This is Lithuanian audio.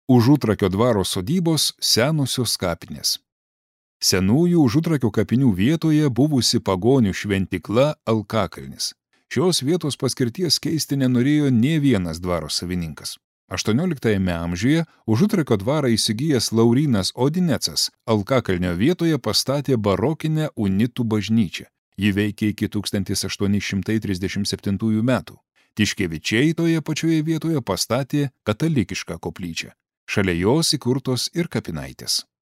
Užutrakio dvaro sodybos senosios kapinės. Senųjų Užutrakio kapinių vietoje buvusi pagonių šventykla Alkakalnis. Šios vietos paskirties keisti nenorėjo nė vienas dvaro savininkas. 18 amžiuje Užutrakio dvarą įsigijęs Laurynas Odinecas Alkakalnio vietoje pastatė barokinę unitų bažnyčią. Ji veikė iki 1837 metų. Tiškevičiai toje pačioje vietoje pastatė katalikišką koplyčią. Šalia jos įkurtos ir kapinaitės.